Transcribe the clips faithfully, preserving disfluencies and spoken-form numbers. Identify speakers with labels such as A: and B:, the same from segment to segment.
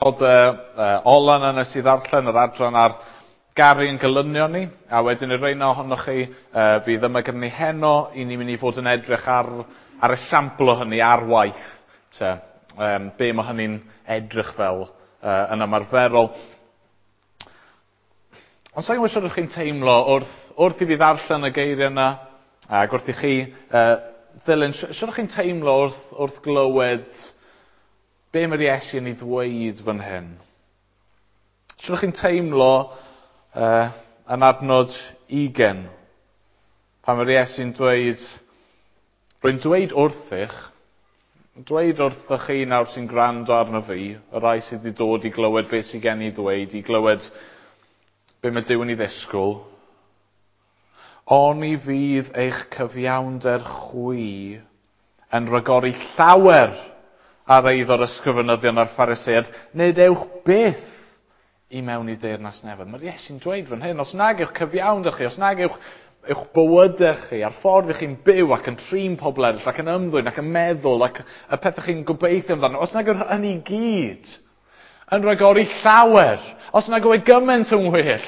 A: Adnodau uh, ola yna nes i ddarllen yr adran ar garu yn gelynion ni, a wedyn y rheina ohonoch chi uh, fydd yma gyda ni heno, i ni'n mynd i fod yn edrych ar, ar esiampl o hynny ar waith, te, um, be mae hynny'n edrych fel uh, yn ymarferol. Ond sa'n gwybod sut ydych chi'n teimlo wrth, wrth i fi ddarllen y geiriau yna, ac wrth i chi uh, ddilyn, sut ydych chi'n teimlo wrth, wrth glywed be mae'r Iesu yn ei ddweud fan hyn? Sut ydych chi'n teimlo uh, yn adnod ugain, pan mae'r Iesu'n dweud, rwy'n dweud wrthych, dweud wrthych chi nawr sy'n gwrando arno fi, y rai sydd wedi dod i glywed beth sydd gen i ddweud, i glywed be mae Duw yn ei ddisgwyl, oni fydd eich cyfiawnder chwi yn rhagori llawer ar eiddo'r ysgrifenyddion a'r Phariseaid, nid ewch byth i mewn i deyrnas nefoedd. Mae'r Iesu'n dweud fan hyn, os nag yw'ch cyfiawnder chi, os nag yw'ch eich bywydau chi, a'r ffordd ych chi'n byw ac yn trin pobl eraill, ac yn ymddwyn, ac yn meddwl, ac y pethau chi'n gobeithio amdano, os nag yw'r hynny gyd yn rhagori llawer, os nag yw e gymaint yn well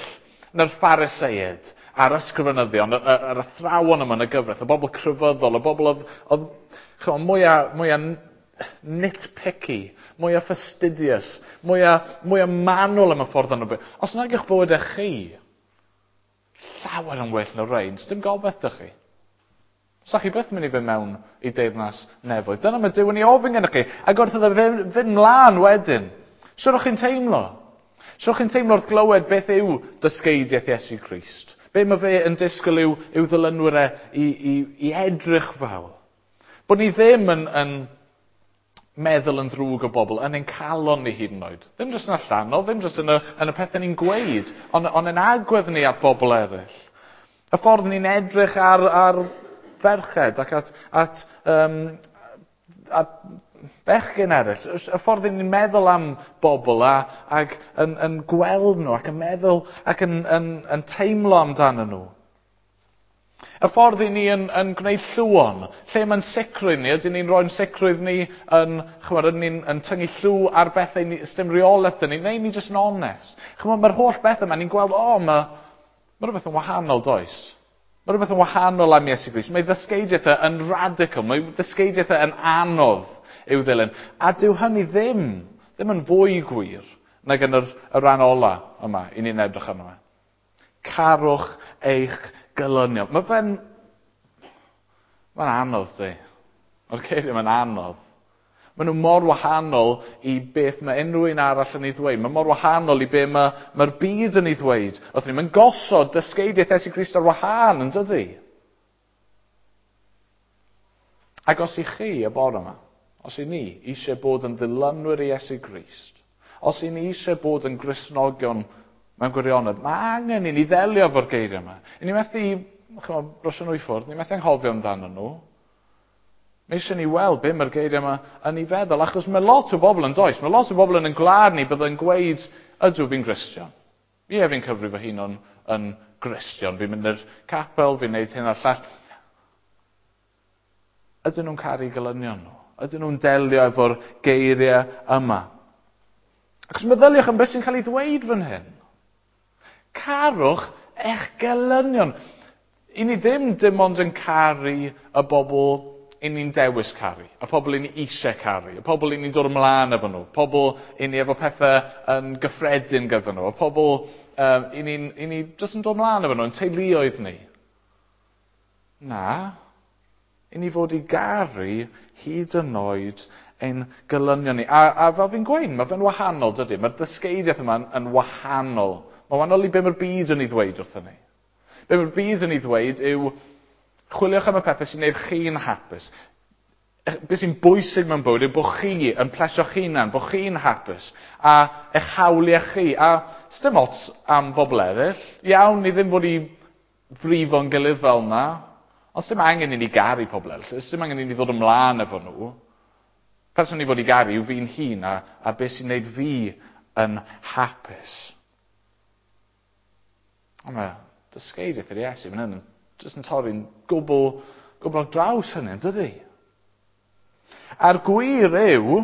A: na'r Phariseaid a'r ysgrifenyddion, yr, yr athrawon yma yn y gyfraith, y bobl crefyddol, y bobl oedd, oedd chymod, mwyaf, mwyaf nitpicky, mwyaf fastidious, mwyaf, mwyaf manwl am y ffordd yno. Os nag yw'ch bywydau chi llawer yn well na rhain, dim gobaith dych chi. Sa chi byth mynd i fynd mewn i deyrnas nefoedd. Dyna mae Duw yn ei ofyn gennych chi. Ac wrth iddo fynd, fynd mlaen wedyn, sut o'ch chi'n teimlo? Sut o'ch chi'n teimlo wrth glywed beth yw dysgeidiaeth Iesu Grist? Be mae fe yn disgwyl i'w, i'w ddilynwyr e i, i, i edrych fel? Bod ni ddim yn, yn meddwl yn ddrwg o bobl, yn ein calon ni hyd yn oed. Ddim jyst yn allanol, ddim jyst yn y, yn y pethau ni'n gweud, ond, ond yn agwedd ni at bobl eraill. Y ffordd ni'n edrych ar, ar ferched ac at, at, um, at bechgyn eraill. Y ffordd ni'n meddwl am bobl a, ac yn, yn gweld nhw ac yn meddwl ac yn, yn, yn teimlo amdano nhw. Y ffordd i ni yn, yn gwneud llwon, lle mae'n sicrwydd ni, ydyn ni'n rhoi'n sicrwydd ni yn, chymod, ydyn ni'n yn tyngu llw ar bethau, ni, dim reolaeth yn ni, neu ni jyst yn onest. Chymod, mae'r holl bethau yma, ni'n gweld, o, oh, mae, mae rhywbeth yn wahanol, does? Mae rhywbeth yn wahanol am Iesu Grist. Mae ddysgeidiaeth e yn radical, mae ddysgeidiaeth e yn anodd i'w ddilyn. A dyw hynny ddim, ddim yn fwy gwir nag yn yr, y rhan ola yma, i ni'n edrych arno fe. Carwch eich gelynion. Mae fe'n... Mae'n anodd, di. Mae'r geiriau mae'n anodd. Maen nhw mor wahanol i beth mae unrhyw un arall yn ei ddweud. Mae mor wahanol i beth mae, mae'r byd yn ei ddweud. Wrth ni, mae'n gosod dysgeidiaeth Iesu Grist ar wahân, yn dydy? Ac os i chi y bore yma, os i ni eisiau bod yn ddilynwyr i Iesu Grist, os i ni eisiau bod yn Gristnogion mewn gwirionedd, mae angen i ni ddelio efo'r geiriau yma. I ni methu, chymod, brysio nhw i ffwrdd, ni methu anghofio amdano nhw. Mae eisiau ni weld be mae'r geiriau yma yn ei feddwl, achos mae lot o bobl yn does, mae lot o bobl yn ein gwlad ni bydd yn gweud, ydw fi'n Gristion. Ie, fi'n cyfri fy hun yn, yn Gristion, fi'n mynd i'r capel, fi'n neud hyn a'r llall. Ydyn nhw'n caru gelynion nhw? Ydyn nhw'n delio efo'r geiriau yma? Achos meddyliwch am beth sy'n cael ei ddweud fan hyn. Carwch eich gelynion. I ni ddim dim ond yn caru y bobl i ni'n dewis caru, y pobl i ni eisiau caru, y pobl i ni'n dod ymlaen efo nhw, pobl i ni efo pethau yn gyffredin gyda nhw, y pobl um, i ni'n i ni jyst yn dod ymlaen efo nhw, yn teuluoedd ni. Na, i ni fod i garu hyd yn oed ein gelynion ni. A, a fel fi'n gweud, mae fe'n wahanol, dydy? Mae'r dysgeidiaeth yma yn, yn wahanol. Mae'n wahanol i be mae'r byd yn ei ddweud wrthyn ni. Be mae'r byd yn ei ddweud yw, chwiliwch am y pethau sy'n gwneud chi'n hapus. Be sy'n bwysig mewn bywyd yw bod chi yn plesio'ch hunan, bod chi'n hapus, a eich hawliau chi. A sdim ots am bobl eraill. Iawn, ni ddim fod i frifo'n gilydd fel yna, ond sdim angen i ni garu pobl eraill, sdim angen i ni ddod ymlaen efo nhw. Person ni fod i garu yw fi'n hun a, a beth sy'n gwneud fi yn hapus. Ond mae dysgeidiaeth yr Iesu fan hyn yn jyst yn torri'n gwbl, gwbl ar draws hynny, yn dydy? A'r gwir yw,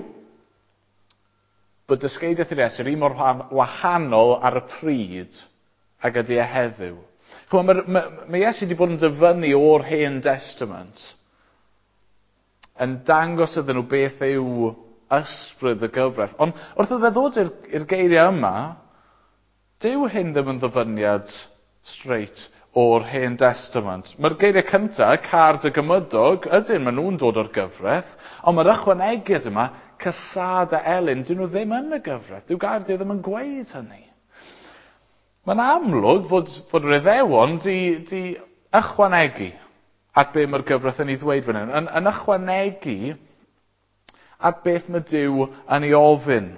A: bod dysgeidiaeth yr Iesu yr un mor wahanol ar y pryd ag ydy e heddiw. Chymod, mae, mae, mae Iesu wedi bod yn dyfynnu o'r Hen Testament yn dangos iddyn nhw beth yw ysbryd y gyfraith. Ond wrth iddo fe ddod i'r, i'r geiriau yma, dyw hyn ddim yn ddyfyniad straight o'r Hen Testament. Mae'r geiriau cyntaf, car dy gymydog, ydyn, maen nhw'n dod o'r gyfraith, ond mae'r ychwanegiad yma, cysad a elyn, dyn nhw ddim yn y gyfraith. Dyw gair Duw ddim yn gweud hynny. Mae'n amlwg fod, fod yr Iddewon di, di ychwanegu at be mae'r gyfraith yn ei ddweud fan hyn. Yn, yn ychwanegu at beth mae Duw yn ei ofyn.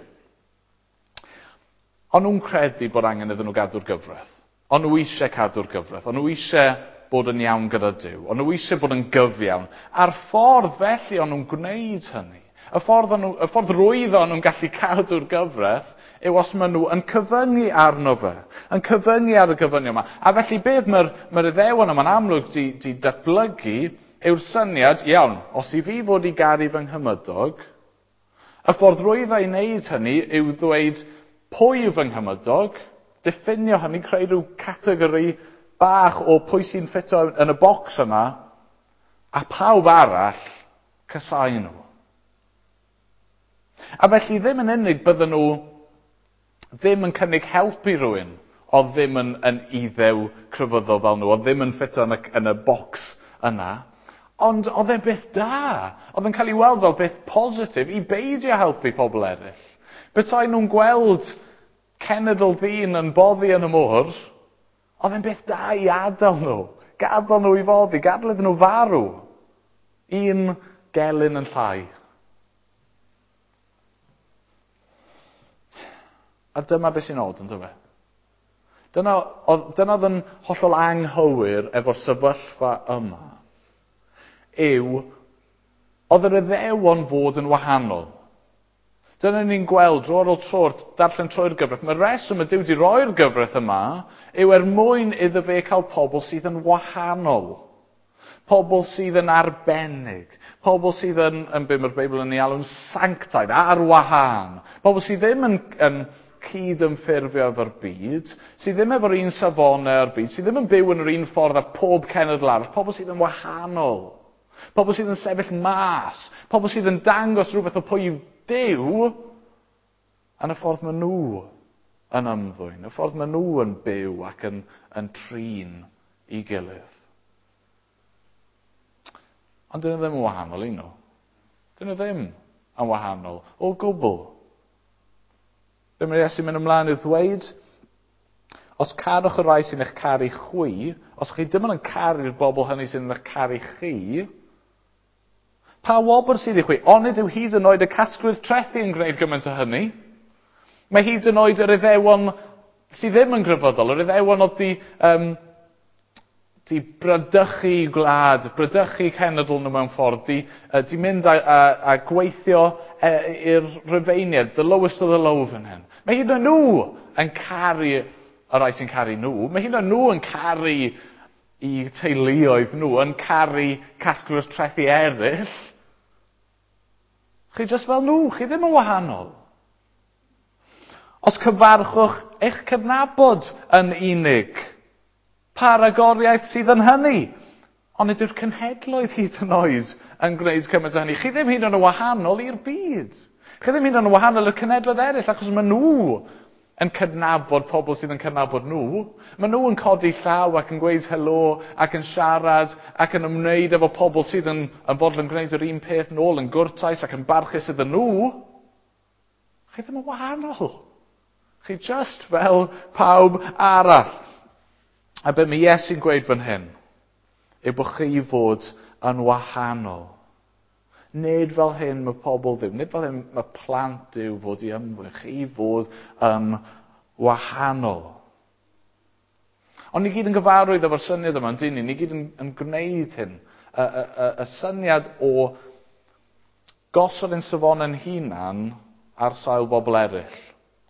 A: Ond nhw'n credu bod angen iddyn nhw gadw'r gyfraith. Ond nhw eisiau cadw'r gyfraith. Ond nhw eisiau bod yn iawn gyda Duw. Ond nhw eisiau bod yn gyfiawn. A'r ffordd felly o'n nhw'n gwneud hynny. Y ffordd, o'n nhw, y ffordd rwyddo o'n nhw'n gallu cadw'r gyfraith yw os maen nhw yn cyfyngu arno fe. Yn cyfyngu ar y gyfyngiad yma. A felly beth mae'r mae'r Iddewon yma'n amlwg di, di datblygu yw'r syniad, iawn, os i fi fod i garu fy nghymydog, y ffordd rwyddo i wneud hynny yw ddweud pwy yw fy nghymydog, diffinio hynny, creu rhyw categori bach o pwy sy'n ffito yn y bocs yma, a pawb arall casau nhw. A felly ddim yn unig bydden nhw ddim yn cynnig help i rywun oedd ddim yn, yn iddew crefyddol fel nhw, oedd ddim yn ffito yn y, yn y bocs yna, ond oedd e'n beth da. Oedd yn cael ei weld fel beth positif i beidio helpu pobl eraill. Petai nhw'n gweld cenedl ddyn yn boddi yn y môr, oedd e'n beth da i adael nhw. Gadael nhw i foddi, gadael iddyn nhw farw. Un gelyn yn llai. A dyma beth sy'n od, yn dyfe? Dyna oedd, dyna oedd yn hollol anghywir efo'r sefyllfa yma, yw oedd yr Iddewon fod yn wahanol. Dyna ni'n gweld dro ar ôl tro, darllen trwy'r gyfraith. Mae'r reswm y Duw wedi roi'r gyfraith yma yw er mwyn iddo fe cael pobl sydd yn wahanol. Pobl sydd yn arbennig. Pobl sydd yn, yn be mae'r Beibl yn ei alw'n sanctaidd, ar wahân. Pobl sydd ddim yn, yn cyd-ymffurfio efo'r byd, sydd ddim efo'r un safonau o'r byd, sydd ddim yn byw yn yr un ffordd â pob cenedl arall. Pobl sydd yn wahanol. Pobl sydd yn sefyll mas. Pobl sydd yn dangos rhywbeth o pwy yw Duw yn y ffordd maen nhw yn ymddwyn, y ffordd maen nhw yn byw ac yn, yn trin i gilydd. Ond dyn nhw ddim yn wahanol i nhw. Dyn nhw ddim yn wahanol o gwbl. Be mae Iesu'n mynd ymlaen i ddweud, os carwch y rhai sy'n eich caru chwi, os chi dim ond yn caru'r bobl hynny sy'n eich caru chi, pa wobr sydd i chwi? Onid yw hyd yn oed y casglwyr trethi yn gwneud gymaint o hynny? Mae hyd yn oed yr Iddewon sydd ddim yn grefyddol, yr Iddewon oedd di, um, di bradychu gwlad, bradychu cenedl nhw mewn ffordd, di, uh, di mynd a, a, a gweithio e, i'r Rufeiniaid, the lowest of the low fan hyn. Mae hyd yn oed nhw yn caru y rhai sy'n caru nhw. Mae hyd yn oed nhw yn caru i teuluoedd nhw, yn caru casglwyr trethi eraill. Chi jyst fel nhw, chi ddim yn wahanol. Os cyfarchwch eich cydnabod yn unig, pa ragoriaeth sydd yn hynny? Ond nid yw'r cenhedloedd hyd yn oed yn gwneud cymaint o hynny. Chi ddim hyd yn oed yn wahanol i'r byd. Chi ddim hyd yn oed yn wahanol i'r cenhedloedd eraill, achos maen nhw yn cydnabod pobl sydd yn cydnabod nhw. Maen nhw yn codi llaw ac yn gweud helo ac yn siarad ac yn ymwneud efo pobl sydd yn, yn fodlon gwneud yr un peth nôl, yn gwrtais ac yn barchus iddyn nhw. Chi ddim yn wahanol. Chi just fel pawb arall. A be mae Iesu'n gweud fan hyn yw bod chi fod yn wahanol. Nid fel hyn mae pobl ddim, nid fel hyn mae plant Duw fod i ymddwyn, chi fod yn wahanol. Ond ni gyd yn gyfarwydd efo'r syniad yma, yndyn ni? Ni gyd yn, yn gwneud hyn. Y, y, y, y syniad o gosod ein safonau'n hunan ar sail bobl eraill.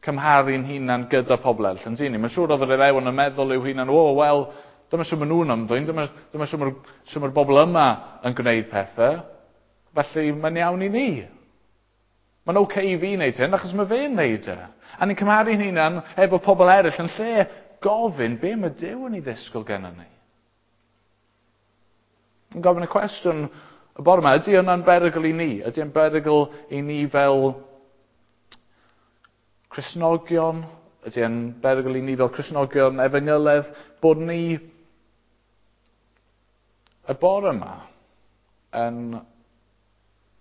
A: Cymharu'n hunan gyda pobl eraill, yndyn ni? Mae'n siŵr oedd yr Iddewon yn meddwl i'w hunan, o, wel, dyma siŵr maen nhw'n ymddwyn, dyma, dyma siŵr mae'r siŵr mae'r bobl yma yn gwneud pethau. Felly mae'n iawn i ni. Mae'n oce okay i fi wneud hyn, achos mae fe'n wneud e. A ni'n cymharu'n hunan efo pobl eraill yn lle gofyn be mae Duw yn ei ddisgwyl gennym ni. Yn gofyn y cwestiwn y bore yma, ydy hwnna'n berygl i ni? Ydy yn berygl i ni fel Cristnogion? Ydy yn berygl i ni fel Cristnogion efengyledd bod ni y bore yma yn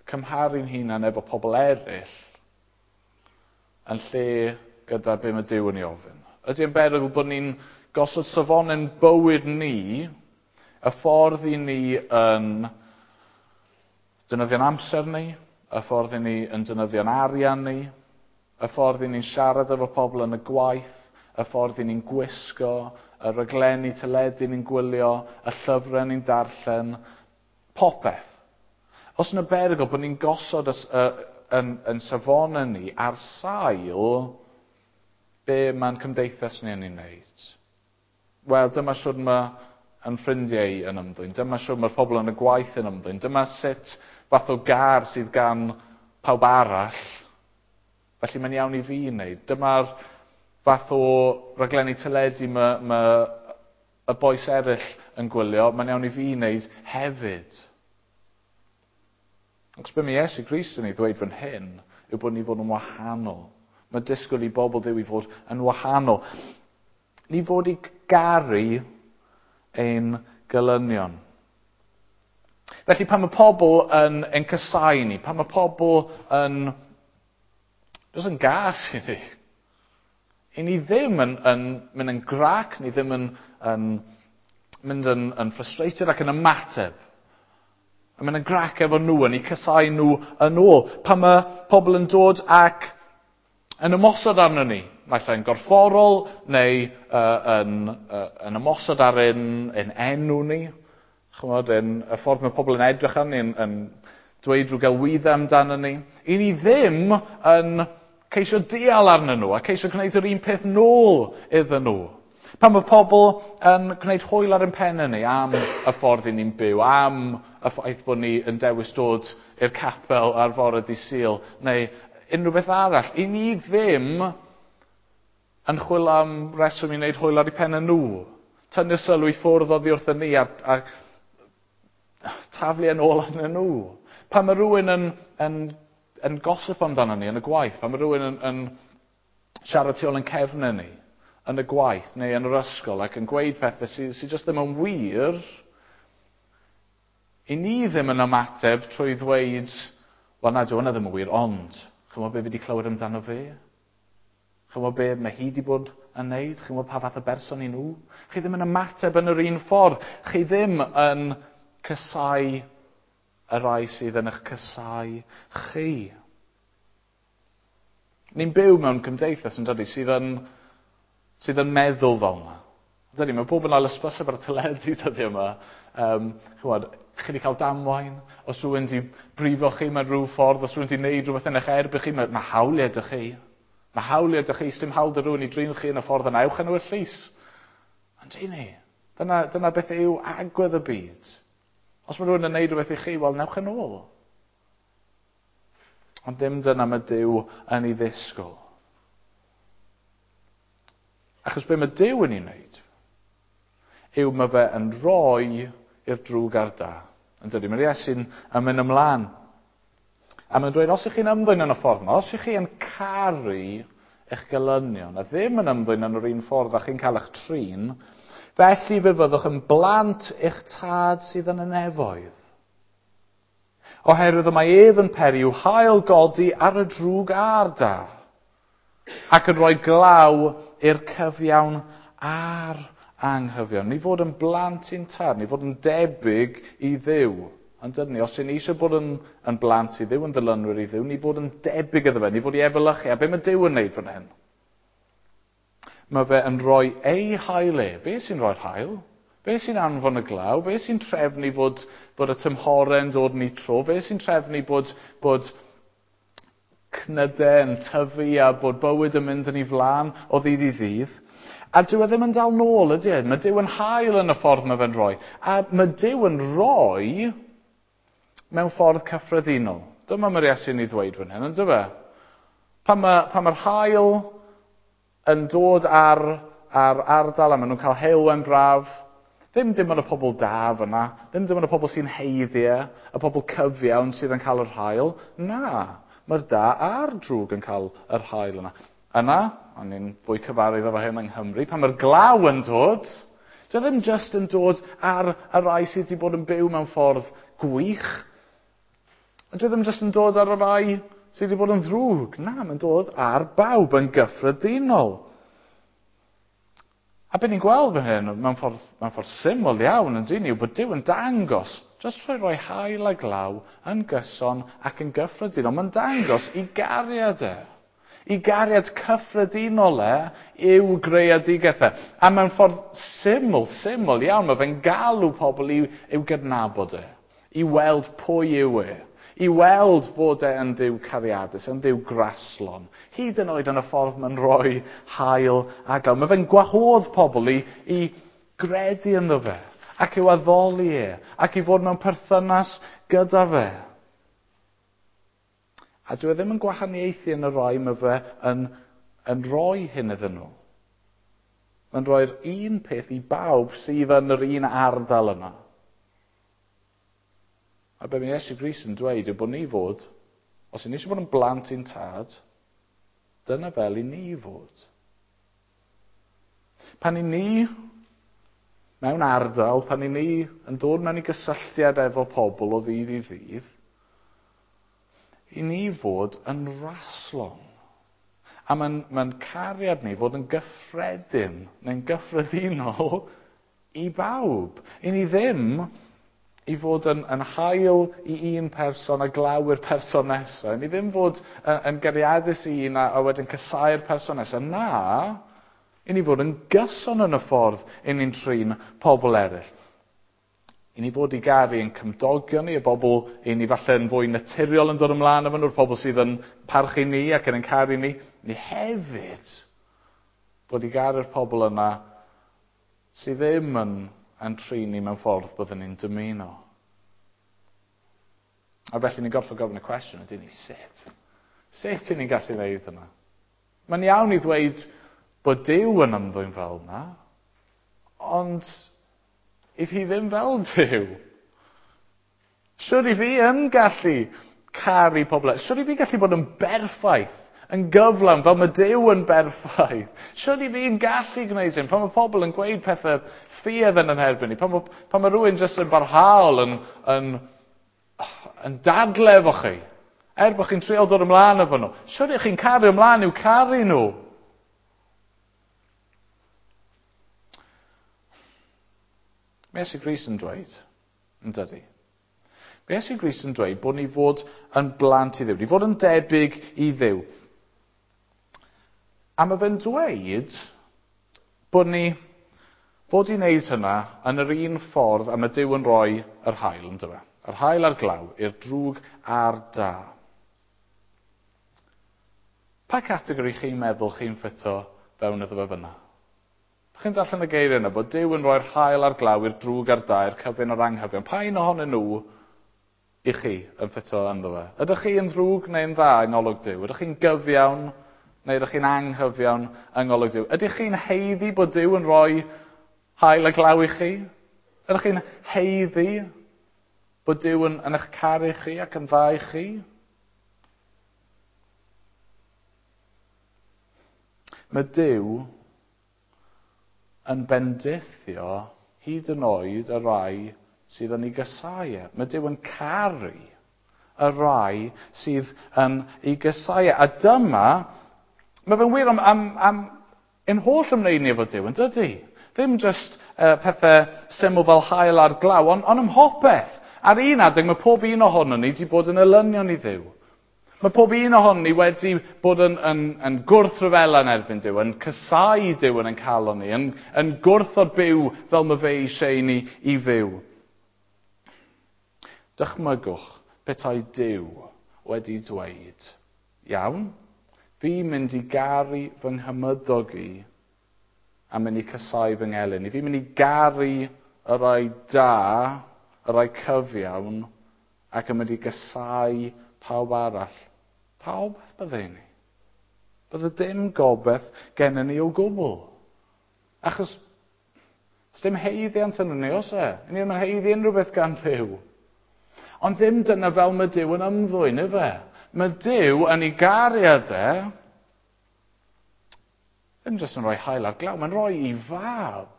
A: cymharu'n hunan efo pobl eraill yn lle gyda be mae Duw yn ei ofyn? Ydy yn berygl bod ni'n gosod safonau'n bywyd ni, y ffordd i ni yn defnyddio'n amser ni, y ffordd i ni yn defnyddio'n arian ni, y ffordd i ni'n siarad efo pobl yn y gwaith, y ffordd i ni'n gwisgo, y raglenni teledu ni'n gwylio, y llyfrau ni'n darllen, popeth. Os yna berygl bod ni'n gosod y, y, yn, yn safonau ni ar sail be mae'n cymdeithas ni yn ei wneud. Wel, dyma siwr mae yn ffrindiau yn ymddwyn. Dyma siwr mae'r pobl yn y gwaith yn ymddwyn. Dyma sut fath o gar sydd gan pawb arall. Felly mae'n iawn i fi wneud. Dyma'r fath o raglenni teledu mae, mae y bois eraill yn gwylio. Mae'n iawn i fi wneud hefyd. Ac be mae Iesu Grist yn ei ddweud fan hyn yw bod ni fod yn wahanol. Mae disgwyl i bobl Dduw i fod yn wahanol. Ni fod i garu ein gelynion. Felly pan mae pobl yn, yn casau ni, pan mae pobl yn, jyst yn gas i ni, i ni ddim yn, yn mynd yn grac, ni ddim yn, yn mynd yn, yn frustrated ac yn ymateb. Yn mynd yn grac efo nhw, yn eu casau nhw yn ôl. Pan mae pobl yn dod ac yn ymosod arno ni, naill ai'n gorfforol neu uh, yn, uh, yn ymosod ar ein, ein enw ni. Chymod, yn, y ffordd mae pobl yn edrych arni, yn, yn dweud rhyw gelwyddau amdano ni. I ni ddim yn ceisio dial arnyn nhw a ceisio gwneud yr un peth nôl iddyn nhw. Pan mae pobl yn gwneud hwyl ar ein pennau ni am y ffordd i ni'n byw, am y ffaith bod ni yn dewis dod i'r capel ar fore dydd Sul, neu unrhyw beth arall, i ni ddim yn chwilio am reswm i wneud hwyl ar eu pennau nhw. Tynnu sylw i ffwrdd oddi wrthyn ni a, a taflu yn ôl arnyn nhw. Pan mae rhywun yn, yn, yn gossip amdano ni yn y gwaith, pan mae rhywun yn, yn siarad tu ôl yn cefnau ni yn y gwaith neu yn yr ysgol ac yn gweud pethau sydd, sydd jyst ddim yn wir, i ni ddim yn ymateb trwy ddweud, wel na, dyw hwnna ddim yn wir, ond, chymod be fi wedi clywed amdano fe? Chymod be mae hi wedi bod yn neud? Chymod pa fath o berson i nhw? Chi ddim yn ymateb yn yr un ffordd. Chi ddim yn casau y rai sydd yn eich casau chi. Ni'n byw mewn cymdeithas yn dydi sydd yn, sydd yn meddwl fel yna. Dydy, mae pob yn ail ysbyseb ar y teledu dyddiau yma. Um, chymod, chi wedi cael damwain, os rhywun wedi brifo chi mewn rhyw ffordd, os rhywun wedi gwneud rhywbeth yn eich erbyn chi, mae, mae hawliau ydych chi. Mae hawliau ydych chi, sdim hawl dy rhywun i drin chi yn y ffordd yna, ewch yn y llys. Ond ni, dyna, dyna beth yw agwedd y byd. Os mae rhywun yn gwneud rhywbeth i chi, wel, newch yn ôl. Ond dim dyna mae Duw yn ei ddisgwyl. Achos be mae Duw yn ei wneud yw mae fe yn rhoi i'r drwg a'r da. Yn dydy, mae'r Iesu'n yn mynd ymlaen. A mae'n dweud, os ych chi'n ymddwyn yn y ffordd yma, os ych chi yn caru eich gelynion, a ddim yn ymddwyn yn yr un ffordd a chi'n cael eich trin, felly fe fyddwch yn blant eich tad sydd yn y nefoedd. Oherwydd y mae ef yn peri i'w haul godi ar y drwg a'r da, ac yn rhoi glaw i'r cyfiawn a'r anghyfiawn. Ni fod yn blant i'n tad, ni fod yn debyg i Dduw. Ond dydyn ni, os ni eisiau bod yn, yn blant i Dduw, yn ddilynwyr i Dduw, ni fod yn debyg iddo fe, ni fod i efelychu. A be mae Duw yn neud fan hyn? Mae fe yn rhoi ei haul e. Be sy'n rhoi'r haul? Be sy'n anfon y glaw? Be sy'n trefnu bod, bod y tymhorau'n dod yn ei tro? Be sy'n trefnu bod, bod cnydau yn tyfu a bod bywyd yn mynd yn ei flaen o ddydd i ddydd? A dyw e ddim yn dal nôl, ydy e? Mae Duw yn hael yn y ffordd mae fe'n rhoi. A mae Duw yn rhoi mewn ffordd cyffredinol. Dyma mae'r Iesu'n ei ddweud fan hyn, ynddo fe? Pan mae, pan mae'r haul yn dod ar, ar ardal a maen nhw'n cael heulwen braf, ddim dim ond y pobl da fyna, ddim dim ond y pobl sy'n haeddu e, y pobl cyfiawn sydd yn cael yr haul. Na, mae'r da a'r drwg yn cael yr haul yna. Yna, o'n i'n fwy cyfarwydd efo hyn yng Nghymru, pan mae'r glaw yn dod, dyw e ddim just yn dod ar y rai sydd wedi bod yn byw mewn ffordd gwych. Ond dyw e ddim just yn dod ar y rai sydd wedi bod yn ddrwg. Na, mae'n dod ar bawb yn gyffredinol. A be ni'n gweld fan hyn, mewn ffordd, mewn ffordd syml iawn yn dyn ni, yw bod Duw yn dangos, jyst trwy roi haul a glaw yn gyson ac yn gyffredinol, mae'n dangos i gariad e. I gariad cyffredinol e yw greadigaeth e. A mewn ffordd syml, syml iawn, mae fe'n galw pobl i'w, i'w gydnabod e, i weld pwy yw e, i weld fod e yn Dduw cariadus, yn Dduw graslon. Hyd yn oed yn y ffordd mae'n rhoi haul a glaw. Mae fe'n gwahodd pobl i, i gredu ynddo fe, ac i'w addoli e, ac i fod mewn perthynas gyda fe. A dyw e ddim yn gwahaniaethu yn y rhai mae fe yn, yn rhoi hyn iddyn nhw. Mae'n rhoi'r un peth i bawb sydd yn yr un ardal yna. A be mae Iesu Grist yn dweud yw bod ni fod, os ni eisiau bod yn blant i'n tad, dyna fel i ni fod. Pan i ni mewn ardal, pan i ni yn dod mewn i gysylltiad efo pobl o ddydd i ddydd, i ni fod yn raslon. A mae'n mae cariad ni fod yn gyffredin, neu'n gyffredinol i bawb. I ni ddim i fod yn, yn haul i un person a glaw i'r person nesaf. I ni ddim fod yn, yn gariadus i un a, a wedyn casáu'r person nesaf. Na, i ni fod yn gyson yn y ffordd i ni'n trin pobl eraill. I ni fod i garu yn cymdogion ni, y bobl i ni falle yn fwy naturiol yn dod ymlaen efo nhw'r pobl sydd yn parchu ni ac yn caru ni. Ni hefyd fod i garu'r pobl yna sydd ddim yn, yn trin ni mewn ffordd byddwn ni'n dymuno. A felly ni'n gorfod gofyn y cwestiwn, ydy ni sut? Sut y'n ni'n gallu wneud yna? Mae'n iawn i ddweud bod Duw yn ymddwyn fel yna, ond i fi ddim fel Duw. Siwr i fi yn gallu caru pobl. Siwr i fi gallu bod yn berffaith, yn gyflawn, fel mae Duw yn berffaith. Siwr i fi yn gallu gwneud hyn. Pan mae pobl yn gweud pethau ffiaidd yn yn herbyn ni, pan mae, pan mae rhywun jyst yn barhaol yn, yn, yn dadle efo chi, er bod chi'n trial dod ymlaen efo nhw, siwr i chi'n caru ymlaen i'w caru nhw. Mae Iesu Grist yn dweud, yn dydi? Mae Iesu Grist yn dweud bod ni fod yn blant i Dduw, ni fod yn debyg i Dduw. A mae fe'n dweud bod ni fod i wneud hynna yn yr un ffordd a mae Duw yn rhoi yr haul, yn dyfe? Yr haul a'r glaw, i'r drwg a'r da. Pa categori chi'n meddwl chi'n ffito fewn iddo fe fyna? Chi'n darllen y geiriau yna, bod Duw yn rhoi'r haul a'r glaw i'r drwg a'r da, i'r cyfun a'r anghyfion. Pa un ohonyn nhw i chi yn ffito ynddo fe? Ydych chi yn ddrwg neu'n dda yng ngolwg Duw? Ydych chi'n gyfiawn neu ydych chi'n anghyfiawn yng ngolwg Duw? Ydych chi'n haeddu bod Duw yn rhoi haul a glaw i chi? Ydych chi'n haeddu bod Duw yn, yn eich caru chi ac yn dda i chi? Mae Duw yn bendithio hyd yn oed y rai sydd yn ei gasáu e. Mae Duw yn caru y rai sydd yn ei gasáu e. A dyma, mae fe'n wir am, am, am ein holl ymwneud ni efo Duw, yn dydy? Ddim just uh, pethau syml fel haul a'r glaw, ond on ym mhopeth. Ar un adeg mae pob un ohonon ni wedi bod yn elynion i Dduw. Mae pob un ohonon ni wedi bod yn, yn, yn gwrthryfela yn erbyn Duw, yn casáu Duw yn ein calon ni, yn, yn gwrthod byw fel mae fe eisiau ni i fyw. Dychmygwch petai Duw wedi dweud, iawn, fi'n mynd i garu fy nghymydog i a mynd i casáu fy ngelyn i. Fi'n mynd i garu y rai da, y rai cyfiawn, ac yn mynd i gasáu pawb arall, pa obaith bydde ni? Bydde dim gobaith gennym ni o gwbl. Achos dim haeddiant yn ni, oes e? Ni ddim yn haeddu unrhyw beth gan Dduw. Ond ddim dyna fel mae Duw yn ymddwyn, ife? Mae Duw yn ei gariad e, ddim jyst yn rhoi haul ar glaw, mae'n rhoi ei fab.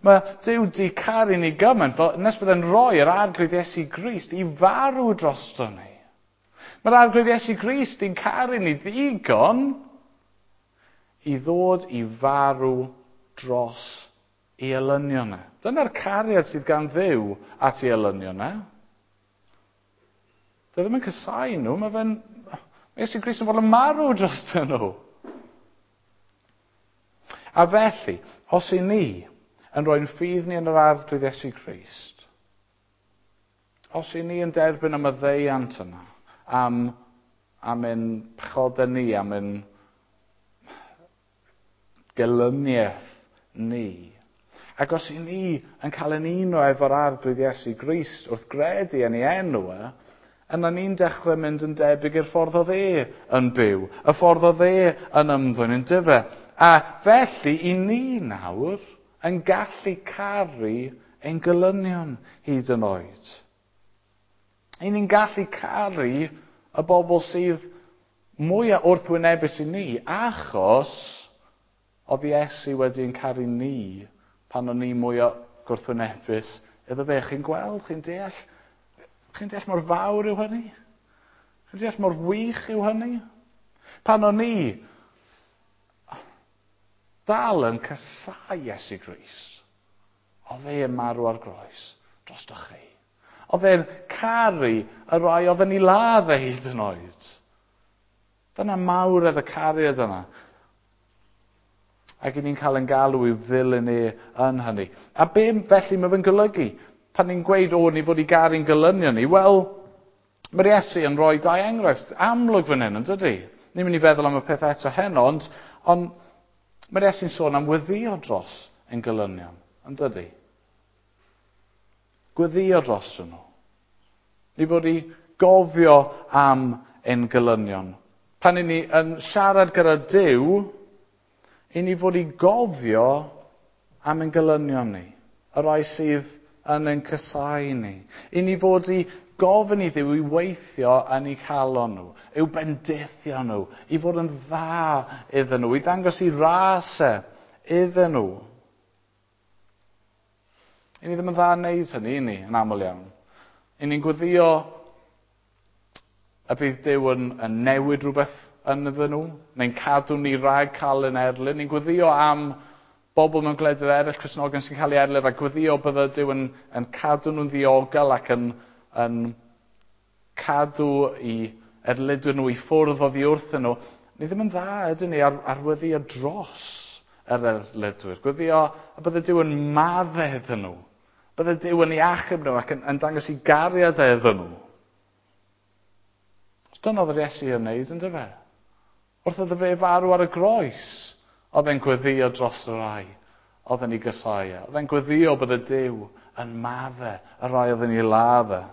A: Mae Duw di caru ni gymaint, fel nes bydd e'n rhoi yr Arglwydd Iesu Grist i farw drosto ni. Mae'r Arglwydd Iesu Grist i'n caru ni ddigon i ddod i farw dros ei elynion e. Dyna'r cariad sydd gan Dduw at ei elynion e. Dyw e ddim yn casáu nhw, mae fe'n... Mae Iesu Grist yn fod yn marw dros nhw. A felly, os i ni yn rhoi'n ffydd ni yn yr Arglwydd Iesu Grist, os i ni yn derbyn y maddeuant yna, am, am ein pechodau ni, am ein gelyniaeth ni, ac os i ni yn cael ein uno efo'r Arglwydd Iesu Grist wrth gredu yn ei enw e, yna ni'n dechrau mynd yn debyg i'r ffordd oedd e yn byw, y ffordd oedd e yn ymddwyn yn dyfe. A felly, i ni nawr yn gallu caru ein gelynion hyd yn oed. I ni'n gallu caru y bobl sydd mwyaf wrthwynebus i ni, achos oedd Iesu wedi'n caru ni pan o'n ni mwyaf gwrthwynebus iddo fe. Chi'n gweld, chi'n deall, chi'n deall mor fawr yw hynny? Chi'n deall mor wych yw hynny? Pan o'n ni dal yn casáu Iesu Grist, oedd e yn marw ar groes drostoch chi. Oedd e'n caru y rai oedd yn ei ladd e hyd yn oed. Dyna mawredd y cariad yna. Ac i ni'n cael ein galw i'w ddilyn e yn hynny. A be felly mae fe'n golygu? Pan ni'n gweud, o, ni fod i garu'n gelynion ni, wel, mae'r Iesu yn rhoi dau enghraifft amlwg fan hyn, yn dydy? Ni'n mynd i feddwl am y peth eto heno, ond, ond mae'r Iesu'n sôn am weddïo dros ein gelynion, yn dydy? Gweddïo dros nhw. Ni fod i gofio am ein gelynion. Pan i ni yn siarad gyda Duw, i ni fod i gofio am ein gelynion ni, y rai sydd yn ein casáu ni. I ni fod i gofyn i Dduw i weithio yn eu calon nhw, i'w bendithio nhw, i fod yn dda iddyn nhw, i ddangos i ras e iddyn nhw. I ni ddim yn dda yn neud hynny, i ni, yn aml iawn. I ni'n gweddio y bydd Duw yn, yn newid rhywbeth yn iddyn nhw, neu'n cadw ni rhag cael yn erlyn. Ni'n gweddio am bobl mewn gwledydd eraill, Cristnogion sy'n cael ei erlyn, a gweddio bydde Duw yn, yn cadw nhw'n ddiogel ac yn, yn cadw i erlidwyr nhw i ffwrdd oddi wrthyn nhw. Ni ddim yn dda, ydyn ni, ar, ar weddio dros yr erlidwyr. Gweddio y bydde Duw yn maddau iddyn nhw. Bydde Duw yn ei achub nhw ac yn, yn dangos i gariad iddyn nhw. Dyna oedd yr Iesu yn wneud, yn dyfe? Wrth iddo fe farw ar y groes, oedd e'n gweddio dros y rai oedd yn ei gasáu. Oedd e'n gweddio bydde Duw yn maddau y rai oedd yn ei ladd e.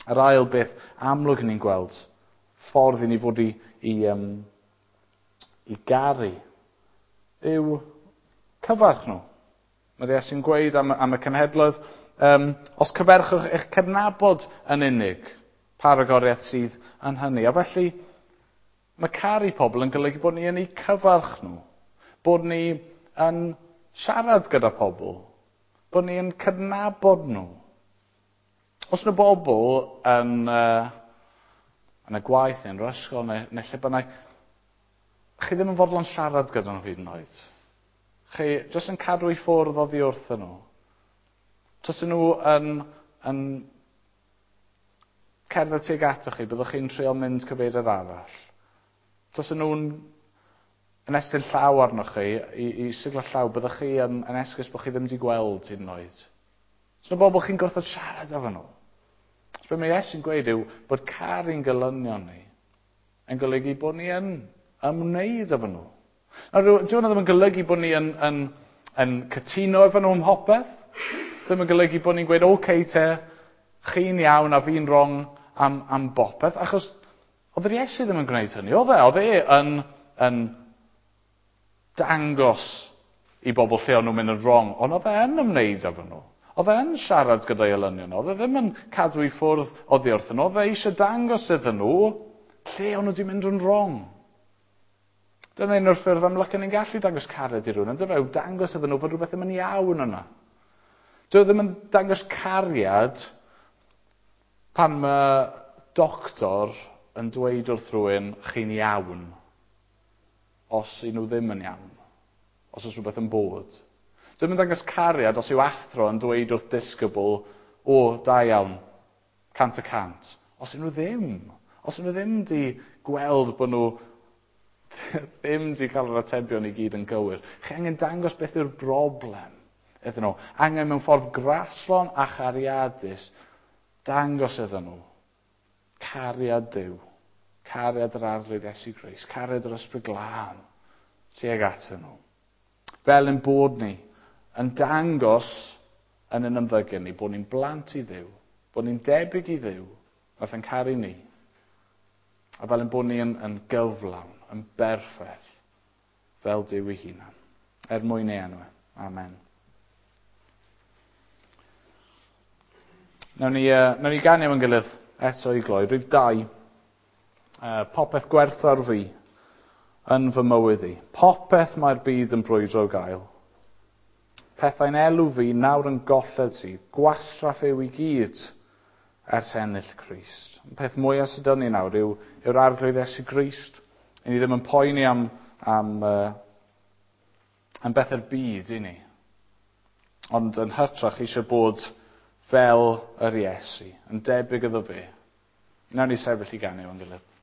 A: Yr ail beth amlwg ni'n gweld, ffordd i ni fod i, i, um, i garu, yw cyfarch nhw. Mae'r Iesu'n gweud am, am y cenhedloedd, um, os cyferchwch eich cydnabod yn unig, pa ragoriaeth sydd yn hynny. A felly, mae caru pobl yn golygu bod ni yn eu cyfarch nhw, bod ni yn siarad gyda pobl, bod ni yn cydnabod nhw. Os yna bobl yn, uh, yn y gwaith neu yn yr ysgol neu, neu lle bynnag, chi ddim yn fodlon siarad gyda nhw hyd yn oed. Chi jyst yn cadw i ffwrdd oddi wrthyn nhw. Tase nhw yn, yn cerdded tuag atoch chi, byddwch chi'n trio mynd cyfeiriad arall. Tase nhw'n yn estyn llaw arnoch chi, i, i siglo llaw, byddwch chi yn, yn esgus bod chi ddim wedi gweld hyd yn oed. So yna bobl chi'n gwrthod siarad efo nhw. So be mae Iesu'n gweud yw bod caru'n gelynion ni yn golygu bod ni yn ymwneud efo nhw. Nawr, dyw hwnna ddim yn golygu bod ni yn, yn, yn cytuno efo nhw ym mhopeth. Ddim yn golygu bod ni'n gweud, oce okay, te, chi'n iawn a fi'n wrong am, am bopeth, achos oedd yr Iesu ddim yn gwneud hynny, oedd e? Oedd e yn, yn dangos i bobl lle o'n nhw'n mynd yn wrong, ond oedd e yn ymwneud efo nhw. Oedd e yn siarad gyda'i elynion, oedd e ddim yn cadw i ffwrdd oddi wrthyn nhw, oedd e eisiau dangos iddyn nhw lle o'n nhw wedi mynd yn wrong. Dyna un o'r ffyrdd amlyca ni'n gallu dangos cariad i rhywun, ond yw dangos iddyn nhw fod rhywbeth ddim yn iawn yna. Dyw e ddim yn dangos cariad pan mae doctor yn dweud wrth rhywun chi'n iawn, os y'n nhw ddim yn iawn, os oes rhywbeth yn bod. Dyw e ddim yn dangos cariad os yw athro yn dweud wrth disgybl, o, da iawn, cant y cant. Os y'n nhw ddim. Os y'n nhw ddim di gweld bod nhw ddim di cael yr atebion i gyd yn gywir. Chi angen dangos beth yw'r broblem iddyn nhw. Angen mewn ffordd graslon a chariadus dangos iddyn nhw cariad Duw, cariad yr Arglwydd Iesu Grist, cariad yr Ysbryd Glân tuag atyn nhw. Fel ein bod ni yn dangos yn ein ymddygiad ni bod ni'n blant i Dduw, bod ni'n debyg i Dduw, nath yn caru ni, a fel ein bod ni yn, yn gyflawn, yn berffaith, fel Duw ei hunan. Er mwyn ei enw. Amen. Nawn ni, uh, nawn ni ganu efo'n gilydd eto i gloi. Rhif dau. Uh, popeth gwerthfawr fi yn fy mywyd i. Popeth mae'r byd yn brwydro gael. Pethau'n elw fi nawr yn golled sydd. Gwastraff yw i gyd ers ennill Crist. Y peth mwyaf sydd dyn ni nawr yw, yw'r Arglwydd Iesu Grist. I ni ddim yn poeni am, am, uh, am bethau'r byd i ni. Ond yn hytrach eisiau bod fel yr Iesu, yn debyg iddo fe. Nawn ni sefyll i ganu efo'n gilydd.